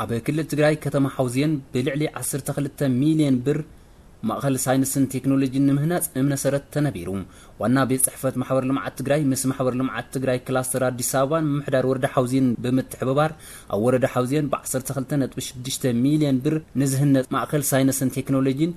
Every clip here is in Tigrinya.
ብክልል ትግራይ ከተማ ሓውዜን ብልዕሊ ዓሰርተ ክልተ ሚልዮን ብር ማእኸል ሳይንስን ቴክኖሎጂን ንምህናፅ እምነ ሰረት ተነቢሩ። ዋና ቤት ፅሕፈት ማሕበር ልምዓት ትግራይ ምስ ማሕበር ልምዓት ትግራይ ክላስተር ኣዲስ ኣበባን ምምሕዳር ወረዳ ሓውዜን ብምትሕብባር ኣብ ወረዳ ሓውዜን ብ ዓሰርተ ክልተ ነጥቢ ሽዱሽተ ሚልዮን ብር ንዝህነፅ ማእኸል ሳይንስን ቴክኖሎጂን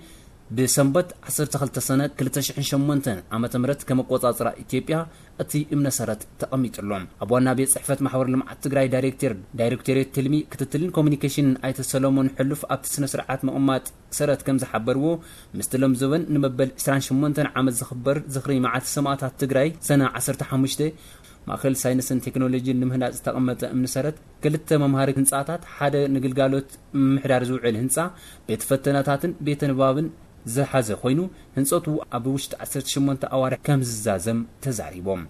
ብሰንበት ዓሰርተ ክልተ ሰነ ክልተ ሽሕን ሸሞንተን ዓመተ ምህረት ከም ኣቆጻጽራ ኢትዮጵያ እቲ እምነ ሰረት ተቐሚጥሎም። ኣብ ዋና ቤት ጽሕፈት ማሕበር ልምዓት ትግራይ ዳይሬክተር ዳይሬክቶሬት ትልሚ ክትትልን ኮሚኒኬሽንን ኣይተ ሰለሞን ሕሉፍ ኣብቲ ስነ ስርዓት ምቕማጥ ሰረት ከም ዝሓበርዎ፣ ምስቲ ሎም ዘበን ንመበል ዕስራን ሸሞንተን ዓመት ዝኽበር ዝኽሪ መዓልቲ ሰማእታት ትግራይ ሰነ ዓሰርተ ሓሙሽተ ማእኸል ሳይንስን ቴክኖሎጂን ንምህናፅ ዝተቐመጠ እምኒ ሰረት ክልተ መምሃሪ ህንፃታት፣ ሓደ ንግልጋሎት ምምሕዳር ዝውዕል ህንፃ፣ ቤት ፈተነታትን ቤተ ንባብን ዝሓዘ ኮይኑ፣ ህንፀቱ ኣብ ውሽጢ ዓሰርተ ሸሞንተ ኣዋርሕ ከም ዝዛዘም ተዛሪቦም።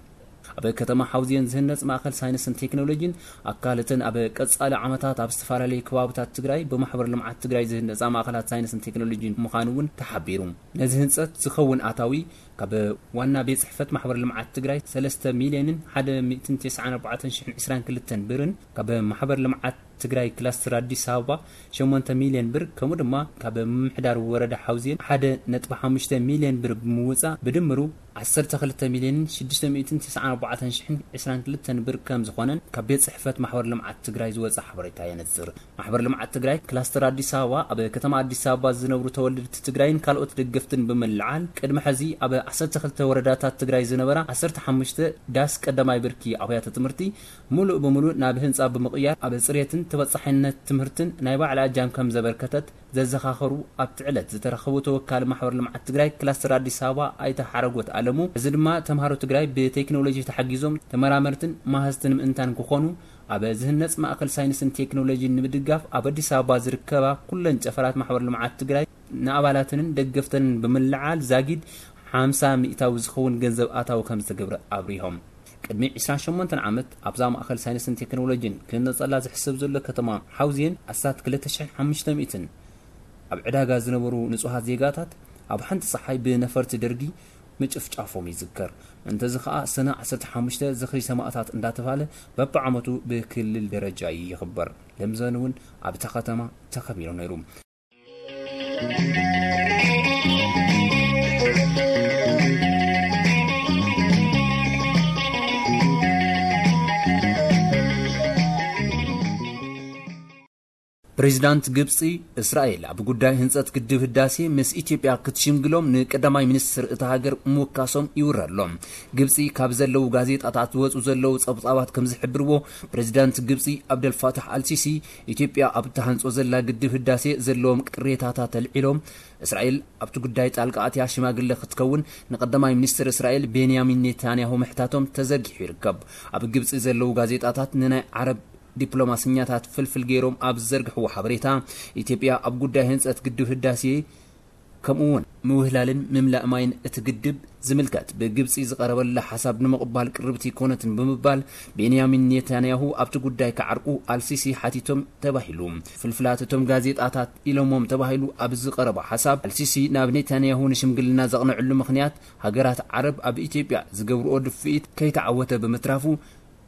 ኣብ ከተማ ሓውዜን ዝህነፅ ማእኸል ሳይንስን ቴክኖሎጂን ኣካልትን ኣብ ቀፃሊ ዓመታት ኣብ ዝተፈላለዩ ከባብታት ትግራይ ብማሕበር ልምዓት ትግራይ ዝህነፃ ማእኸላት ሳይንስን ቴክኖሎጂን ምዃኑ እውን ተሓቢሩ። ነዚ ህንፀት ዝኸውን ኣታዊ ካብ ዋና ቤት ጽሕፈት ማሕበር ልምዓት ትግራይ ሰለስተ ሚልዮንን ሓደ ሚእትን ተስዓን ኣርባዕተን ሽሕን ዕስራን ክልተን ብርን፣ ካብ ማሕበር ልምዓት ትግራይ ክላስተር ኣዲስ ኣበባ ሸሞንተ ሚልዮን ብር፣ ከምኡ ድማ ካብ ምምሕዳር ወረዳ ሓውዜን ሓደ ነጥቢ ሓሙሽተ ሚልዮን ብር ብምውፃእ ብድምሩ ዓሰርተ ክልተ ሚልዮንን ሽዱሽተ ሚእትን ተስዓን ኣርባዕተን ሽሕን ዕስራን ክልተን ብር ከም ዝኾነን ካብ ቤት ጽሕፈት ማሕበር ልምዓት ትግራይ ዝወፀ ሓበሬታ የነጽር። ማሕበር ልምዓት ትግራይ ክላስተር ኣዲስ ኣበባ ኣብ ከተማ ኣዲስ ኣበባ ዝነብሩ ተወለድቲ ትግራይን ካልኦት ደገፍትን ብምልዓል፣ ቅድሚ ሕዚ ኣብ ዓሰርተ ክልተ ወረዳታት ትግራይ ዝነበራ ዓሰርተ ሓሙሽተ ዳስ ቀዳማይ ብርኪ ኣብያተ ትምህርቲ ሙሉእ ብሙሉእ ናብ ህንፃ ብምቕያር፣ ኣብ ፅሬትን ተበፃሒነት ትምህርትን ናይ ባዕላ እጃም ከም ዘበርከተት ዘዘኻኸሩ ኣብቲ ዕለት ዝተረኸቡ ተወካሊ ማሕበር ልምዓት ትግራይ ክላስተር ኣዲስ ኣበባ ኣይተ ሓረጎት ኣለሙ፣ እዚ ድማ ተምሃሮ ትግራይ ብቴክኖሎጂ ተሓጊዞም ተመራመርትን መሃዝትን ምእንታን ክኾኑ፣ ኣብ ዝህነፅ ማእኸል ሳይንስን ቴክኖሎጂን ንምድጋፍ ኣብ ኣዲስ ኣበባ ዝርከባ ኩለን ጨፈራት ማሕበር ልምዓት ትግራይ ንኣባላተንን ደገፍተንን ብምልዓል ዛጊድ ሓምሳ ሚእታዊ ዝኸውን ገንዘብ ኣታዊ ከም ዝተገብረ ኣብሪሆም። ቅድሚ ዕስራን ሸሞንተን ዓመት ኣብዛ ማእኸል ሳይንስን ቴክኖሎጂን ክህነፀላ ዝሕሰብ ዘሎ ከተማ ሓውዜን ኣስታት ክልተ ሽሕን ሓሙሽተ ሚእትን ኣብ ዕዳጋ ዝነበሩ ንጹሃት ዜጋታት ኣብ ሓንቲ ፀሓይ ብነፈርቲ ደርጊ ምጭፍጫፎም ይዝከር። እንተዚ ኸኣ ሰነ ዓሰርተ ሓሙሽተ ዝኽሪ ሰማእታት እንዳተባለ በብዓመቱ ብክልል ደረጃ ይኽበር። ለምዘን እውን ኣብታ ከተማ ተኸቢሩ ነይሩ። ፕሬዚዳንት ግብፂ፣ እስራኤል ኣብ ጉዳይ ህንፀት ግድብ ህዳሴ ምስ ኢትዮጵያ ክትሽምግሎም ንቀዳማይ ሚኒስትር እታ ሃገር ምውካሶም ይውረ ኣሎ። ግብፂ ካብ ዘለዉ ጋዜጣታት ዝወፁ ዘለዉ ፀብፃባት ከም ዝሕብርዎ፣ ፕሬዚዳንት ግብፂ ኣብደልፋታሕ ኣልሲሲ ኢትዮጵያ ኣብ ትሃንፆ ዘላ ግድብ ህዳሴ ዘለዎም ቅሬታታት ኣልዒሎም፣ እስራኤል ኣብቲ ጉዳይ ጣልቃ ኣትያ ሽማግለ ክትከውን ንቀዳማይ ሚኒስትር እስራኤል ቤንያሚን ኔታንያሁ ምሕታቶም ተዘርጊሑ ይርከብ። ኣብ ግብፂ ዘለዉ ጋዜጣታት ንናይ ዓረብ ዲፕሎማስኛታት ፍልፍል ገይሮም ኣብ ዝዘርግሕዎ ሓበሬታ፣ ኢትዮጵያ ኣብ ጉዳይ ህንፀት ግድብ ህዳሴ ከምኡ እውን ምውህላልን ምምላእ ማይን እቲ ግድብ ዝምልከት ብግብፂ ዝቐረበላ ሓሳብ ንምቕባል ቅርብቲ ኣይኮነትን ብምባል ቤንያሚን ኔታንያሁ ኣብቲ ጉዳይ ክዓርቁ ኣልሲሲ ሓቲቶም ተባሂሉ። ፍልፍላት እቶም ጋዜጣታት ኢሎሞም ተባሂሉ ኣብ ዝቐረበ ሓሳብ ኣልሲሲ ናብ ኔታንያሁ ንሽምግልና ዘቕንዕሉ ምኽንያት ሃገራት ዓረብ ኣብ ኢትዮጵያ ዝገብርኦ ድፍኢት ከይተዓወተ ብምትራፉ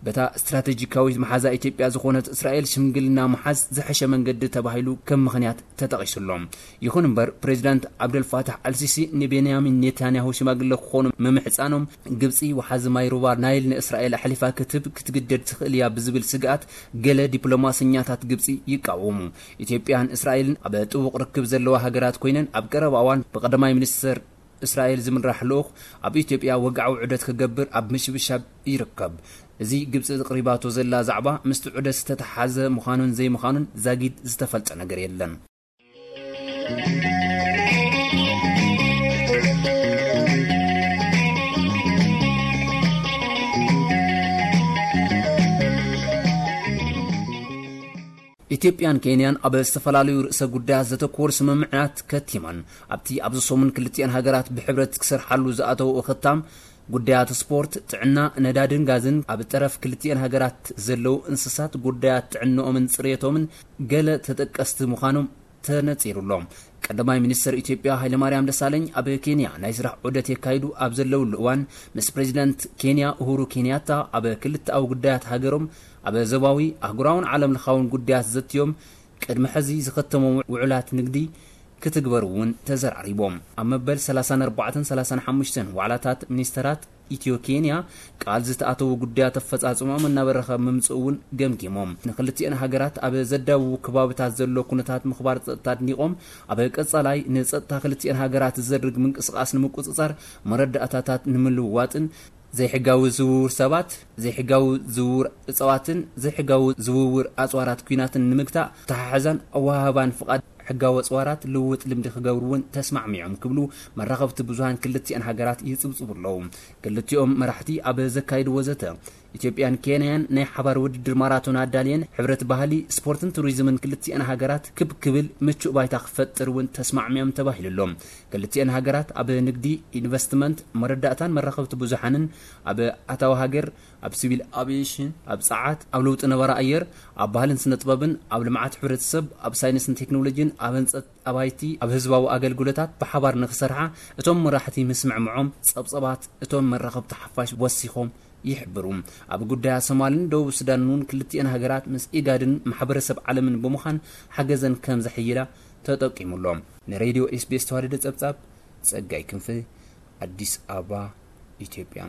በታ ስትራቴጂካዊት መሓዛ ኢትዮጵያ ዝኾነት እስራኤል ሽምግልና ምሓዝ ዝሐሸ መንገዲ ተባሂሉ ከም ምኽንያት ተጠቒሱሎም። ይኹን እምበር ፕሬዚዳንት ዓብደልፋታሕ ኣልሲሲ ንቤንያሚን ኔታንያሁ ሽማግለ ክኾኑ ምምሕፃኖም ግብፂ ወሓዚ ማይ ሩባ ናይል ንእስራኤል ኣሕሊፋ ክትህብ ክትግደድ ትኽእል እያ ብዝብል ስግኣት ገለ ዲፕሎማሰኛታት ግብፂ ይቃወሙ። ኢትዮጵያን እስራኤልን ኣብ ጥቡቕ ርክብ ዘለዋ ሃገራት ኮይነን ኣብ ቀረባ እዋን ብቀዳማይ ሚኒስትር እስራኤል ዝምራሕ ልኡኽ ኣብ ኢትዮጵያ ወግዓዊ ዑደት ክገብር ኣብ ምሽብሻብ ይርከብ። እዚ ግብፂ ኣቕሪባቶ ዘላ ዛዕባ ምስቲ ዑደት ዝተተሓሓዘ ምዃኑን ዘይምዃኑን ዛጊድ ዝተፈልጠ ነገር የለን። ኢትዮጵያን ኬንያን ኣብ ዝተፈላለዩ ርእሰ ጉዳያት ዘተኮሩ ስምምዓት ከቲመን። ኣብቲ ኣብዚ ሰሙን ክልቲኣን ሃገራት ብሕብረት ክሰርሓሉ ዝኣተው እኽታም ጉዳያት ስፖርት፣ ጥዕና፣ ነዳድን ጋዝን፣ ኣብ ጠረፍ ክልቲኣን ሃገራት ዘለዉ እንስሳት ጉዳያት ጥዕንኦምን ጽሬቶምን ገለ ተጠቀስቲ ምዃኖም ተነጺሩሎም። ቀዳማይ ሚኒስትር ኢትዮጵያ ሃይለማርያም ደሳለኝ ኣብ ኬንያ ናይ ስራሕ ዑደት የካይዱ ኣብ ዘለውሉ እዋን ምስ ፕሬዚደንት ኬንያ ኡሁሩ ኬንያታ ኣብ ክልተኣዊ ጉዳያት ሃገሮም ኣብ ዞባዊ ኣህጉራውን ዓለም ለኻውን ጉዳያት ዘትዮም ቅድሚ ሕዚ ዝኸተሞም ውዕላት ንግዲ ክትግበር እውን ተዘራሪቦም። ኣብ መበል ሰላሳን ኣርባዕተን ሰላሳን ሓሙሽተን ዋዕላታት ሚኒስተራት ኢትዮ ኬንያ ቃል ዝተኣተዉ ጉዳያት ኣፈጻጽሞም እናበረኸ ምምጽኡ እውን ገምጊሞም። ንክልቲኤን ሃገራት ኣብ ዘዳውቡ ከባብታት ዘሎ ኩነታት ምኽባር ጸጥታ ኣድኒቖም፣ ኣብ ቀጻላይ ንጸጥታ ክልቲኤን ሃገራት ዝዘርግ ምንቅስቓስ ንምቁጽጻር መረዳእታታት ንምልውዋጥን ዘይሕጋዊ ዝውውር ሰባት፣ ዘይሕጋዊ ዝውውር እጽዋትን ዘይሕጋዊ ዝውውር ኣጽዋራት ኲናትን ንምግታእ ተሓሕዛን ኣወሃህባን ፍቓድ ሕጋዊ ኣጽዋራት ልውውጥ ልምዲ ክገብሩ እውን ተስማዕሚዖም ክብሉ መራኸብቲ ብዙሃን ክልቲኣን ሃገራት ይጽብጽቡ ኣለዉ። ክልቲኦም መራሕቲ ኣብ ዘካይድዎ ዘተ፣ ኢትዮጵያን ኬንያን ናይ ሓባር ውድድር ማራቶን ኣዳልየን ሕብረት ባህሊ፣ ስፖርትን ቱሪዝምን ክልቲኣን ሃገራት ክብ ክብል ምቹእ ባይታ ክፈጥር እውን ተስማዕሚዖም ተባሂሉ ኣሎ። ክልቲኣን ሃገራት ኣብ ንግዲ፣ ኢንቨስትመንት፣ መረዳእታን መራኸብቲ ብዙሓንን፣ ኣብ ኣታዊ ሃገር፣ ኣብ ሲቪል ኣቪዬሽን፣ ኣብ ጸዓት፣ ኣብ ለውጢ ነባራ ኣየር፣ ኣብ ባህልን ስነ ጥበብን፣ ኣብ ልምዓት ሕብረተሰብ፣ ኣብ ሳይንስን ቴክኖሎጂን፣ ኣብ ህንጸት ኣባይቲ፣ ኣብ ህዝባዊ ኣገልግሎታት ብሓባር ንክሰርሓ እቶም መራሕቲ ምስምዕምዖም ጸብጸባት እቶም መራኸብቲ ሓፋሽ ወሲኾም ይሕብሩ። ኣብ ጉዳያት ሶማልን ደቡብ ሱዳንን እውን ክልቲኤን ሃገራት ምስ ኢጋድን ማሕበረሰብ ዓለምን ብምዃን ሓገዘን ከም ዘሕይላ ተጠቂሙ ኣሎ። ንሬድዮ ኤስቢኤስ ተዋደደ ጸብጻብ ጸጋይ ክንፈ፣ ኣዲስ ኣበባ፣ ኢትዮጵያ።